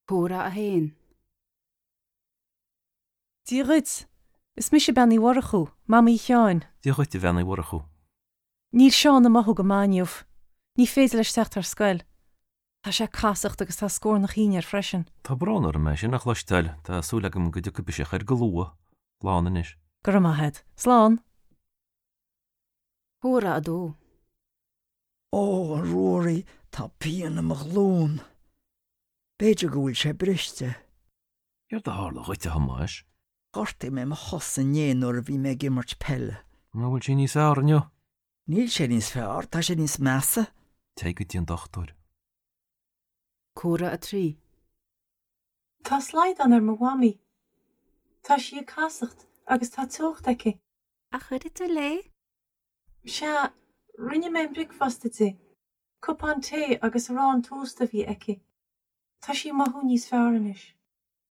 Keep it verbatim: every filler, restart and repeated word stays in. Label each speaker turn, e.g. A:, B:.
A: Comhrá a haon.
B: Dia dhuit. Is mise Bean Uí Mhurchú, Mamaí Sheáin.
C: Dia dhuit a Bhean Uí Mhurchú.
B: Níl Seán ag mothú go maith inniu. Ní féidir leis teacht ar scoil. Tá sé ag casacht agus tá scornach thinn air freisin.
C: Tá brón orm é sin a chloisteáil, tá súil agam go dtiocfaidh biseach air go luath. Slán anois.
B: Go raibh maith agat. Slán.
A: Comhrá a dó.
D: Ó, a Ruairí, tá pian i mo ghlúin. B'fhéidir go bhfuil sé briste.
C: Céard a tharla dhuit a Thomáis?
D: Ghortaigh mé mo chos inné nuair a bhí mé ag imirt peile.
C: An bhfuil sé níos fearr inniu?
D: Níl sé níos fearr, tá sé níos measa.
C: Téigh go dtí an dochtúir.
A: Comhrá a trí.
B: Tá slaghdán ar mo mhamaí. Tá sí ag casacht agus tá teocht aici.
A: Ar chuidigh tú léi?
B: Sea, rinne mé an bricfeasta di. Cupán tae agus arán tósta a bhí aici. Tá sí ag mothú níos fearr anois.